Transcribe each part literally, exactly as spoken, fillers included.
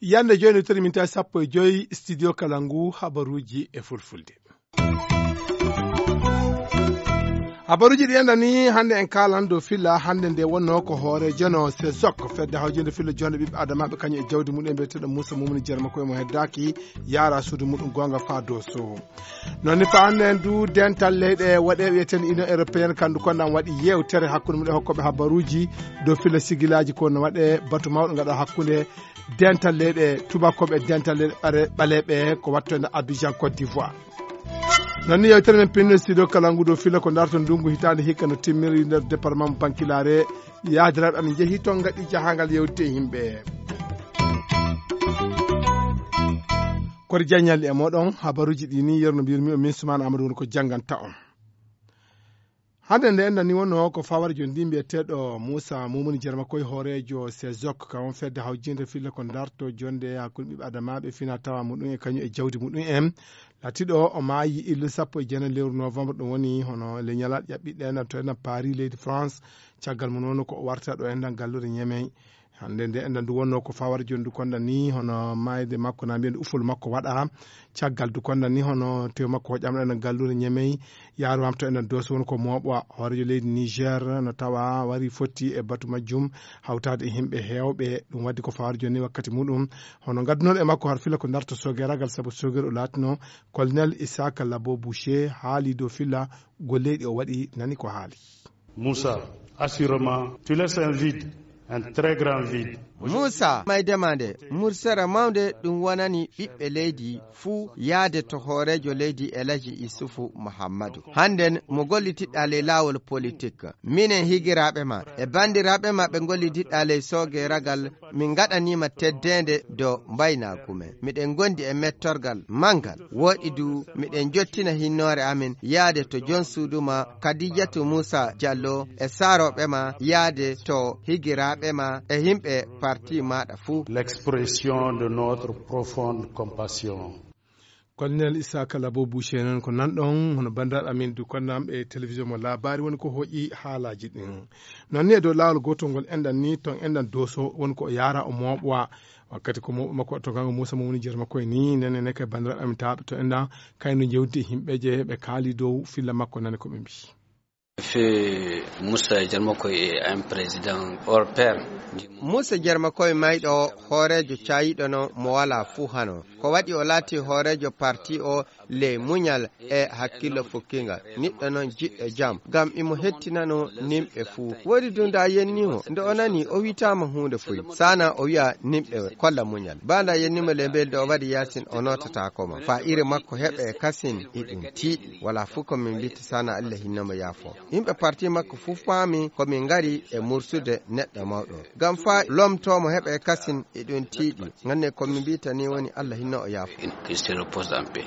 Yande jooni, toni minti sappo e joy, studio Kalangu, habaruuji e fulfulde. Habaruuji ɗi enɗan ni, hannde en kaalan dow filla hannde nde wonnoo ko hoore jono sesok, fedde hawjinde filla jonde ɓiɓɓe adamaaɓe kañum e jawdi mumen, mbiyeteeɗo Muusa Mumuni Jerma, koye mo heddaaki, yaara suudu muɗum goonga faa Dooso. Noon ni, faa hannde en du, dental leyɗe waɗeeɓe wiyeten Union Européenne, kandu kon ɗan waɗi yeewtere hakkunde mum e hokkooɓe habaruuji dow filla sigilaaji ko no waɗee batu mawɗo ngaɗa hakkunde dental leyɗe tubakooɓe e dental leyɗe ɓare-, ɓaleeɓe ko wattoyde Abidjan, Côte d'Ivoire. Noon ni, yeewtere men pinno studio Kalangu dow filla ko darto ndungu hitaande hikka no timmiri nder département mo Bankilare, yaadiraaɓe amen njehi toon ngaɗi jahaangal yewtide e yimɓe. Kori jaññal e mooɗon, habaruuji ɗi ni, yerno mbirmi o min Sumaana Amadou woni ko jannganta on. Hannde nde enɗan ni wonnoo ko fawara jooni ndi, mbiyeteeɗo Muusa Mumuni Jerma koye hooreejo sesok, ka on fedde hawjinde filla ko darto jonde hakkunde ɓiɓɓe adamaaɓe fina tawa muɗum e kañum e jawdi muɗum en. Latiɗo o maayi ille sappo e jeenayi lewru novembre, ɗum woni hono le ñalaaɗe ƴaɓɓiɗe ɗen to enɗan Paris leydi France. Caggal mum noon ko o warta ɗo enɗan galluure Ñemey. Hannde nde enɗan ndu wonnoo ko fawara jooni ndu konɗan ni hono maayde makko na mbiyen ufol makko waɗa. Caggal ndu konɗan ni hono tew makko hoƴaama ɗo enɗan galluure Ñemey, yaaruwaama to enɗan Dooso woni ko mooɓa. Hooreejo leydi Niger no tawa wari fotti e batu majjum hawtaade e yimɓe heewɓe. Ɗum waɗi ko fawara jooni ni wakkati muɗum. Hono ngaddunoɗo e makko har filla ko darto sogeragal, sabu sogeer o laatino, Colonel Isaac Labo Boucher haali dow filla golleeɗi o waɗi, nani ko haali. Moussa, assurément, tu laisses un vide, un très grand vide. Moussa, maydema nde, mursere mawnde ɗum wonani ɓiɓɓe leydi fuu yaade to hooreejo leydi El Hadji Issoufou Mahamadou. Hannden mo gollitiɗɗa ley laawol politik. Minen higiraaɓe ma e banndiraaɓe ma ɓe ngollitiɗɗa ley soogeragal, min ngaɗaniima teddeende dow mbaynaagu men. Miɗen ngondi e mettorgal manngal. Wooɗi du, miɗen njottina hinnoore amen yaade to joom suudu ma, Kadijatu Muusa Jallo, e saarooɓe ma, yaade to higiraaɓe ma e yimɓe parti maaɗa fuu. L'expression de notre profonde compassion. Colonel Isaka Labo Boucher noon ko nanɗon, hono banndiraaɓe amen du konnam e télévision mo laabaari woni ko hoƴi haalaaji ɗin. Noon ni e dow laawol gootol ngol enɗan ni, toon enɗan Dooso woni ko o yaara o mooɓwa. Wakkati ko mooɓo makko to gango Moussa Moumouni Jerma koye ni, nene ne kay banndiraaɓe amen taaɓe to enɗan kayno jewdi e yimɓe je ɓe kaali dow filla makko nane ko ɓe mbii. Fe Moussa Jerma koye est un président hors pair. Moussa Jerma koye mayɗo hooreejo caayiɗo no mo walaa fuu hano. Ko waɗi o laati hooreejo parti o ley muñal e hakkillo fukkinga. Niɗɗo noon jiɗɗo jam, ngam imo hettinano nimɓe fuu. Woodi du nde a yenni mo, nde o nani o witaama huunde fuy. Sana o wi'a nimɓe kolla muñal. Ba nde a yenni mo ley mbeldi o waɗi yaasin o nootataako ma. Faa iri makko heɓa e kasin e ɗum tiiɗi. Walaa fuu ko min mbitta sana Allah hinno mo yaafo. Yimɓe parti makko fuu paami ko min ngari e mursude neɗɗo mawɗo. Ngam faa lomtoo mo heɓa e kasin e ɗum tiiɗi. Nganne ko min mbitta ni woni Allah hinno o yaafo. Qu'il se repose en paix.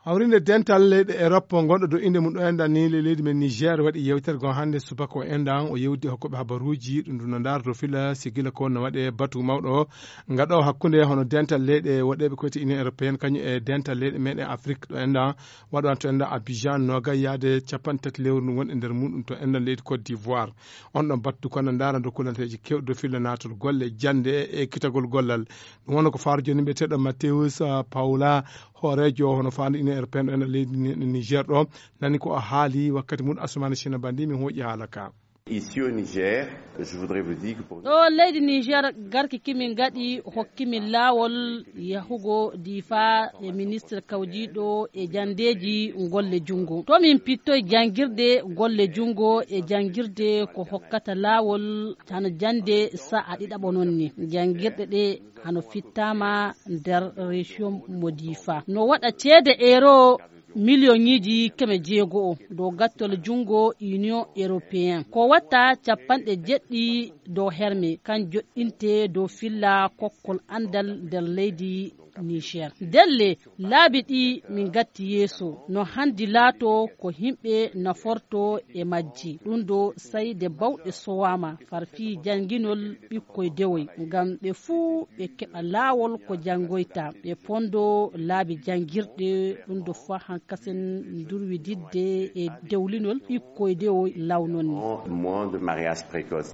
Hawrinde dental leyɗe Europe ngonɗo dow innde mum ɗo enɗan ni le leydi men Niger waɗi yewtere goo hannde subaka o enɗan o yewdi e hokkooɓe habaruuji ɗum ɗum no ndaara dow filla sigila ko no waɗe batu mawɗo ngaɗo hakkunde hono dental leyɗe waɗeeɓe koyte Union Européenne kañum e dental leyɗe meɗen Afrique ɗo enɗan waɗo an to enɗan Abidjan nogay yaade capanɗe tati lewru ndu woni e nder muɗum to enɗan leydi Côte d'Ivoire. On ɗon battu kono ndaara dow kulanteeji kewɗi dow filla naatol golle jannde e ekkitagol gollal. Ɗum wonno ko faaro jooni mbiyeteeɗo Mateus, ah, Paula, hooreejo hono faandu Union Européenne ɗo enɗan leydi Ni-, Niger ɗo, nani ko o haali wakkati mum Assoumani China Bandi min hooƴi haala ka. Ici au Niger, je voudrais vous dire que pour ɗo leydi Niger garki kimin ngaɗi hokkimin laawol yahugo Difa e ministre kawjiiɗo e janndeeji golle junngo. To min pittoy janngirde golle junngo e janngirde ko hokkata laawol hano jannde sa'a ɗiɗaɓo noon ni. Janngirɗe ɗe hano fittaama nder région mo Difa. No waɗa ceede euro Miliyoŋiiji keme jeego o dow gattol junngo Union Européen. Ko watta capanɗe jeɗɗi dow herme, kan joɗɗinte dow filla kokkol anndal nder leydi Niger. Ndelle, laabi ɗi min ngatti yeeso, no hanndi laato ko yimɓe naforto e majji. Ɗum ɗo sayde bawɗe sowaama, far fii jannginol ɓikkoy dewoy, ngam ɓe fuu ɓe keɓa laawol ko janngoyta, ɓe pondo laabi janngirɗe. Ɗum ɗo faa hankasen ndurwididde e dewlinol ɓikkoy dewoy law non ni. Moins de mariage précoce.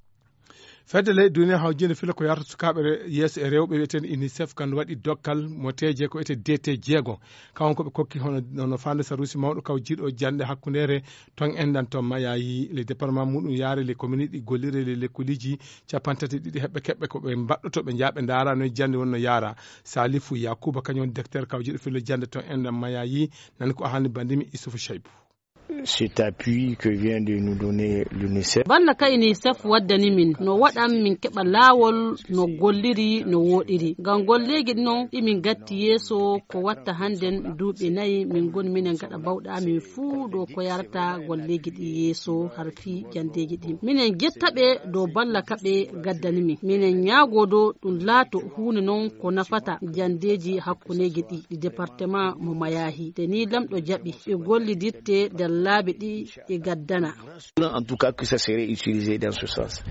Fedde leyɗe duniya hawjinde filla ko yarata sukaaɓe re-, yeeso e rewɓe wiyeteende UNICEF, kan waɗi dokkal mo teeje ko wiyetee D T jeego. Kawon ko ɓe kokki hono, hono faande saruusi mawɗo kaw jiiɗo jannde hakkundeere ton enɗan ton mayayi le département muɗum yaare le commune ɗi gollire le lekkuliiji capanɗe tati e ɗiɗi heɓɓe keɓɓe ko ɓe mbaɗɗoto ɓe njaaɓe ndaara no jannde wonno yaara. Salifu Yakuba kañum woni directeur kaw jiiɗo filla jannde ton enɗan mayayi, nani ko haalni bandimi Isufu Shaibu. Cet appui que vient de nous donner l'UNICEF. Balla ka UNICEF waddani min, no waɗan min keɓa laawol no golliri, no wooɗiri. Ngam golleeji ɗi non ɗi min gatti yeeso ko watta hannden duuɓi nayi min ngoni minen gaɗa bawɗe amin fuu ɗo ko yarata golleeji ɗi yeeso har fii janndeeji ɗi. Minen jetta ɓe dow balla ka ɓe gaddani min. Minen ñaagoo dow ɗum laato huunde non ko nafata janndeeji hakkundeeji ɗi, ɗi département mo Mayahi. Te ni lamɗo jaɓi, ɓe gollidirte nder laabi ɗi e gaddana. En tout cas, que ça serait utilisé dans ce sens.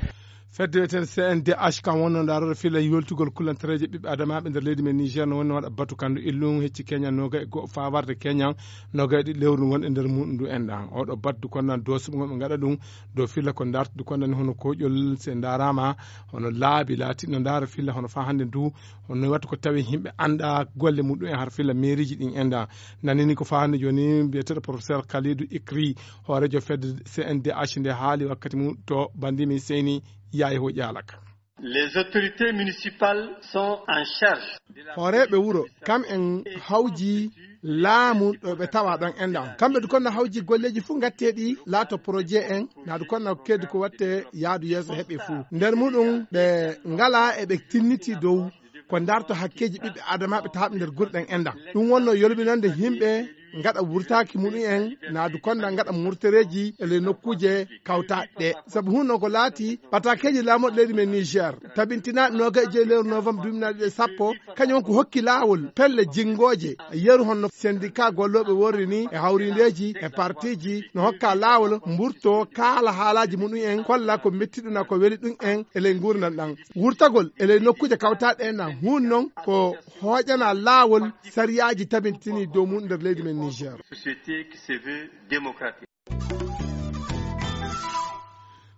Fedde wiyeteende C N D H kam wonno ndaarorde filla yoltugol kulantareeje ɓiɓɓe adamaaɓe nder leydi men Niger no wonno waɗa batu kandu illum hecci keñan noga e go'o fawarde keñan noga e ɗiɗi lewru wonɗe nder muɗum ndu enɗan. Oɗo batu du konnan dosuɓe ngon ɓe ngaɗa ɗum dow filla ko ndarta du konnan hono koƴol se ndarama hono laabi laatiɗo ndaara filla hono fa hannde ndu hono watta ko tawi yimɓe annda golle muɗum en har filla mairie ji ɗin enɗan. Nanini ko fa hannde joni mbiyeteɗo professeur Khalidou Ikri, hooreejo fedde C N D H nde haali wakkati mum to bandimi Seyni Yaye Hoƴi Alaka. Les autorités municipales sont en charge de la Hooreeɓe wuro, kam en hawji laamu ɗo ɓe tawa ɗon enɗan. Kamɓe du konno hawji golleeji fuu ngatteeɗi laato projet en, na du konno keddi ko watte yaadu yeeso heɓe fuu. Nder muɗum ɓe ngala e ɓe tinniti dow ko ndarto hakkeeji ɓiɓɓe adamaaɓe tawaaɓe nder gure ɗen enɗan. Ɗum wonno yolbinande yimɓe ngaɗa wurtaaki muɗum en, na du konda ngaɗa murtereeji e ley nokkuuje kawtaaɗe ɗe. Sabu hunno ko laati ɓataakeeji laamoɗo leydi men Niger, tabintinaaɗo noga e joyi lewru novembre duuɓi nayi ɗiɗi e sappo, kañum won ko hokki laawol pelle jinngooje, yeru honno syndicat gollooɓe worri ni e hawrindeeji e partiiji no hokka laawol mburto kaala haalaaji muɗum en, kolla ko mettiɗuna ko weli ɗum en e ley nguurndam ɗam. Wurtagol e ley nokkuuje kawtaaɗe ɗe na huun noon ko hooƴana laawol sariyaaji tabintini dow mum nder leydi men Niger. Société qui se veut démocratique.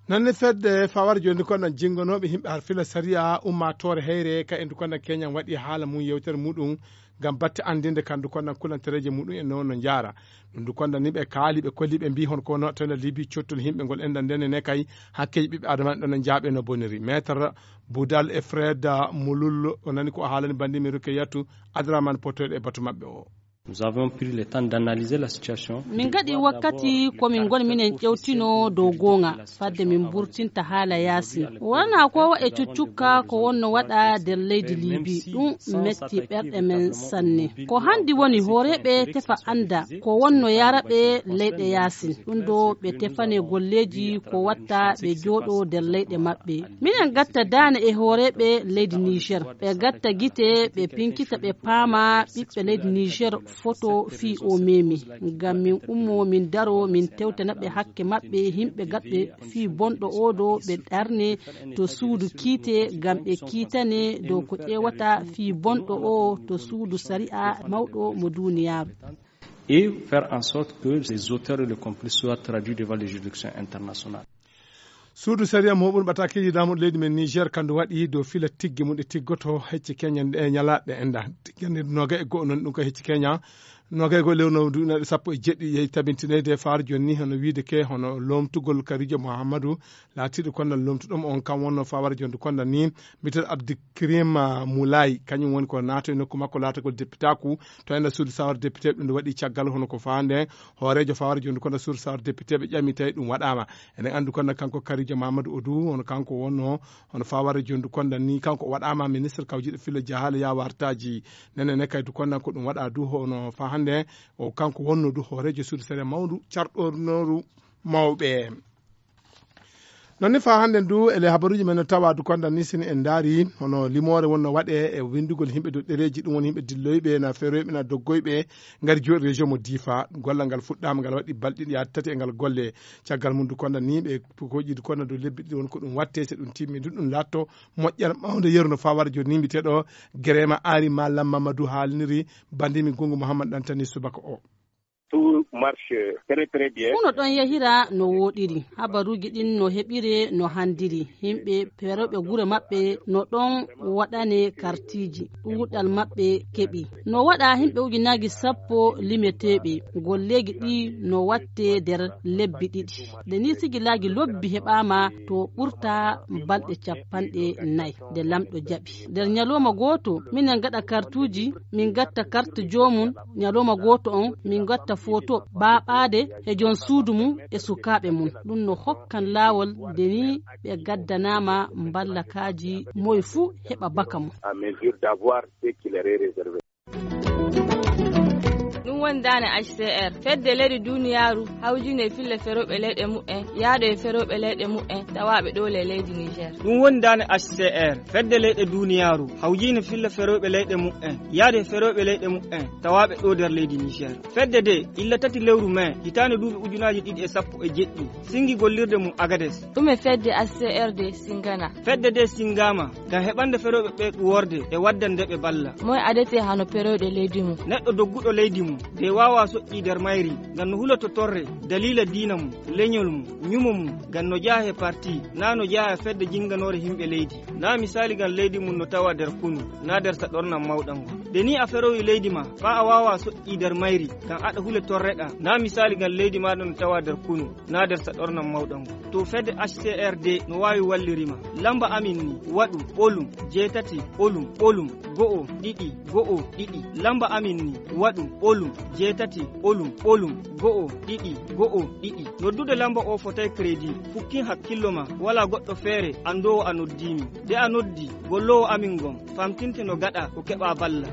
Noon ne fedde fawar jooni ko nan jinngonooɓe yimɓe har fila sariya ummaatoore heyre ka endu konnan keñan waɗi haala mum yewtere muɗum ngam batte anndinde kandu konnan kulantereeje muɗum en noon no njaara. Ɗum ndu konnan ni ɓe kaali ɓe kolli ɓe mbii hon ko no tawde libi cottol yimɓe ngol enɗan ndene ne kay hakkeeji ɓiɓɓe adama ɗon no njaaɓe no boniri. Maître Boudal e Fred Mulul o nani ko o haalani banndi mi Rukeyatu Adraman potoyɗo e batu maɓɓe o. Nous avons pris le temps d'analyser la situation. Min ngaɗi wakkati ko min ngoni minen ƴewtino dow goonga fadde min mburtinta haala yaasi. Wonaa ko e cuccukka ko wonno waɗa nder leydi Libi. Ɗum metti ɓerɗe men sanne. Ko hanndi woni hooreeɓe tefa annda ko wonno yaraɓe leyɗe yaasin. Ɗum ɗo ɓe tefane golleeji ko watta ɓe jooɗo nder leyɗe maɓɓe. Minen gatta daane e hooreeɓe leydi Niger. Ɓe gatta gite ɓe pinkita ɓe paama ɓiɓɓe leydi Niger foto fii o memi. Ngam min ummo min daro min tewtana ɓe hakke maɓɓe yimɓe gaɗɓe fii bonɗo o ɗo ɓe ɗarne to suudu kiite ngam ɓe kiitane dow ko ƴeewata fii bonɗo o to suudu sariya mawɗo mo duuniyaaru. Et faire en sorte que les auteurs et les complices soient traduits devant les juridictions internationales. Suudu sariya moɓun ɓatakeji laamuɗo leydi men Niger kandu waɗi dow fila tigge mum ɗe tiggoto hecci keñan ɗe ñalaɗe enɗan. Tigge nde noga e go'o non ɗum ko hecci keñan. Noga e go'o lewru no duɗinaɗe sappo e jeɗɗi yehi tabintinede faar jonni hono wiide ke hono lomtugol Karijo Muhammadu laatiɗo konnal lomtuɗo mo on kam wonno fawara jonde konnal ni. Mbiyeteɗo Abdikrim Moulay kañum woni ko naato e nokku makko laatagol depitaku to enda suudu sawar depite ɗum nde waɗi caggal hono ko faande hooreejo fawara jonde konnal suudu sawar depite ɓe ƴami tawi ɗum waɗama. Eɗen anndi kono kanko Karijo Mamadou Odou hono kanko wonno hono fawara jonde konnal ni kanko o waɗama ministre kawjiɗo filla jahaale yawartaji. Nene ne kay du konnal ko ɗum waɗa du hono fa Nde o kanko wonno du hooreejo suudu sere mawndu carɗornooru mawɓe. Noon ni faa hannden du, ele habaruuji men no tawa du konda ni sini en ndaari, hono limoore wonno waɗe e winndugol yimɓe dow ɗereeji, ɗum woni yimɓe dilloyɓe, na feroyɓe, na doggoyɓe, ngari jooɗi région mo Difa. Gollal ngal fuɗɗaama, ngal waɗi balɗe ɗiɗi haa tati e ngal golle. Caggal mum du konda ni ɓe ko jiidu konda dow lebbi ɗiɗi won ko ɗum watte, so ɗum timmi du ɗum laatto moƴƴere mawnde yeru no faa wara jooni ni mbiteɗo Gerema Ari Malam Mamadou haalniri bandimi Gungu Muhammad Ɗantani subaka o. Tout marche très, très bien. Fuu no ɗon yahira no wooɗiri. Habaruuji ɗin no heɓire no handiri. Yimɓe perooɓe gure maɓɓe no ɗon waɗane kartiiji. Ɗuuɗal maɓɓe keɓi. No waɗa yimɓe ujunaaji sappo limeteeɓe. Golleeji ɗi no watte nder lebbi ɗiɗi. Nde ni sigilaaji lobbi heɓaama to ɓurta balɗe capanɗe nayi. Nde lamɗo jaɓi. Nder ñalawma gooto, minen ngaɗa kartuuji, min ngatta kart joomum, ñalawma gooto on, min ngatta foto ɓaaɓaade e joom suudu mum e sukaaɓe mum. Ɗum no hokkan laawol nde ni ɓe gaddanaama mballakaaji moye fuu heɓa baka mum. À mesure d'avoir ce qui leur est réservé. Ɗum woni daane H C R. Fedde leyɗe duniyaaru hawjine filla ferooɓe leyɗe mu'en, yaade e ferooɓe leyɗe mu'en, tawaaɓe ɗoo le leydi Niger. Ɗum woni daane H C R. Fedde leyɗe duniyaaru hawjine filla ferooɓe leyɗe mu'en, yaade e ferooɓe leyɗe mu'en, tawaaɓe ɗoo nder leydi Niger. Fedde de, illa tati lewru mai, hitaande duuɓi ujunaaji ɗiɗi e sappo e jeɗɗi, singi gollirde mum Agades. Ɗume fedde H C R de singana? Fedde de singaama ngam heɓande ferooɓe ɓe ɗuworde e waddande ɓe balla. Moy adete hano perooɗe leydi mum? Neɗɗo dogguɗo leydi mum, de waawa soƴƴi nder mayri, ngam no huloto torre, daliila diina mum, leñol mum, ñumo mum, ngam no jeyaa he parti, naa no jeyaa he fedde jinganoore yimɓe leydi. Naa misaali ngam leydi mum no tawa nder kunu, naa nder saɗornam mawɗam ngon. De ni a ferowi leydi ma, faa a waawa soƴƴi nder mayri, ngam aɗa hule torreɗa. Naa misaali ngam leydi maaɗa no tawa nder kunu, naa nder saɗornam mawɗam ngon. To fedde H C R de no waawi walliri ma. Lamba amin ni, waɗu, ɓolum, jeetati, ɓolum, ɓolum, go'o, ɗiɗi, go'o, ɗiɗi. Lamba amin ni, waɗu, ɓolum, jeetati, ɓolum, ɓolum, go'o, ɗiɗi, go'o, ɗiɗi. Noddude lamba o fotay crédit. Fukkin hakkillo ma, walaa goɗɗo feere anndoowo a noddii mi. De a noddi, golloowo amin ngon, famtinte no gaɗa ko keɓa balla.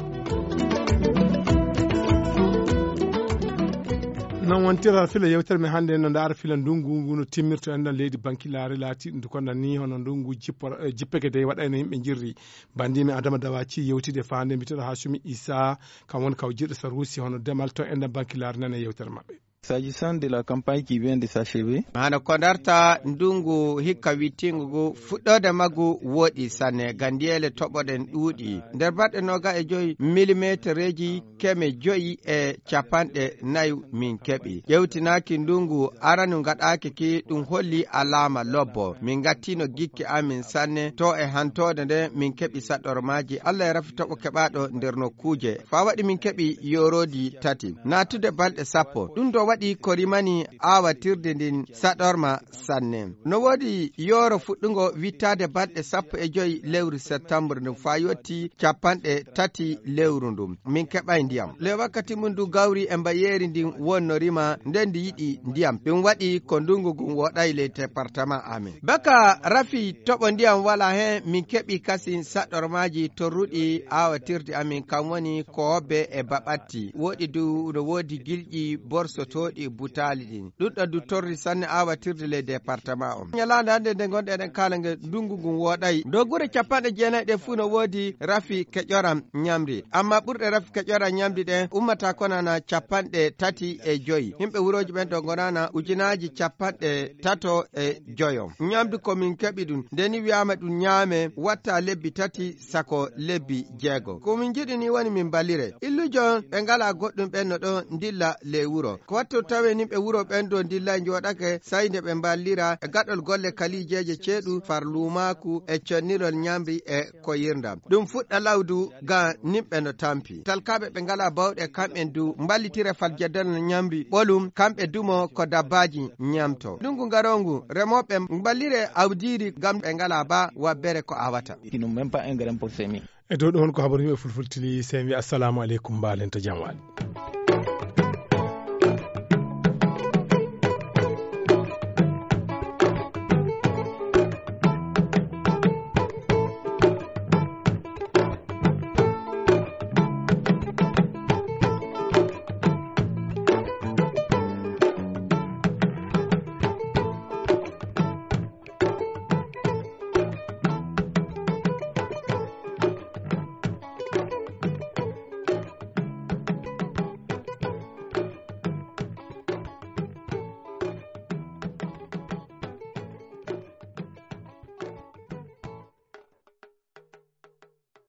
Non wontira fila yewtere men hannde no ndaara fila ndungu ngu no timmirto enɗan leydi bankilaare laati ɗum ko nan ni hono ndungu jippo-, eh, jippeke dey waɗayno yimɓe njirri. Bandimi Adama Dawaci yewtide faande mbiteɗo Hasumi Isa, kam woni kaw jirɗo Sarusi hono demal to enɗan bankilaare nane yewtere maɓɓe. S'agissant de la campagne qui vient de s'achever. Hano ko ndarta ndungu hikka wittingu ngu fuɗɗoode maggu woɗi sanne, gandiyeele toɓoɗen ɗuuɗi. Nder baɗɗe noga e joyi milimetereeji keme joyi e capanɗe nayi min keɓi. Ƴewtinaaki ndungu aranu ngaɗaaki ki, ɗum holli alaama lobbo. Min ngattino gikke amin sanne to e hantoode nde min keɓi saɗormaaji. Allah e rafi toɓo keɓaaɗo nder nokkuuje. Faa waɗi min keɓi yooroodi tati. Naatude balɗe sappo. Ɗum ɗo waɗi ko rimani aawatirde ndin saɗorma sanne. No woodi yooro fuɗɗungo wittaade balɗe sappo e joyi lewru septembre ndun faa yotti capanɗe tati lewru ndun. Min keɓay ndiyam. Le wakkati mun du gawri e mbayeeri ndin wonno rima nden ndi yiɗi ndiyam. Ɗum waɗi ko ndungu ngun woɗay ley département amin. Baka rafi toɓo ndiyam wala hen, min keɓi kasin saɗormaaji torruɗi aawatirde amin, kam woni ko hobbe e baɓatti. Woɗi du no woodi gilƴi borsotooɗi butaali ɗin. Ɗuɗɗo du torri sanne aawatirde ley département on. Ñalaande hannde nde ngonɗen eɗen kaala nge ndungu ngun woɗay. Dow gure capanɗe jeenayi ɗe fuu no woodi rafi keƴoram ñamri. Amma ɓurɗe rafi keƴoram ñamri ɗen ummata konana capanɗe tati e joyi. Yimɓe wurooji ɓen ɗo ngonana ujunaaji capanɗe tato e joyo. Ñamdu ko min keɓi ɗum. Nde ni wi'aama ɗum ñaame, watta lebbi tati sako lebbi jeego. Ko min njiɗi ni woni min mballire. Illujo ɓe ngalaa goɗɗum ɓen no ɗon ndilla ley wuro. Ko wattu tawe ni ɓe wuro ɓen ɗo ndilla njooɗake, sey nde ɓe mballira e gaɗol golle kaliijeeje ceeɗu, far luumaaku e connirol ñamri e ko yirndam. Ɗum fuɗɗa lawdu ga nimɓe no tampi. Talkaaɓe ɓe ngalaa bawɗe kamɓen du mballitire fal jeddal no ñamri ɓolum, kamɓe dumo ko dabbaaji ñamto. Ndungu ngaroongu, remooɓe mballire awdiiri ngam ɓe ngalaa ba wabbere ko awata. Ils n'ont même pas un grain pour semer. E dow ɗum, ko habaru yimɓe fulfultili, sey mi wiya assalamu aleykum, mbaalen to jam waali.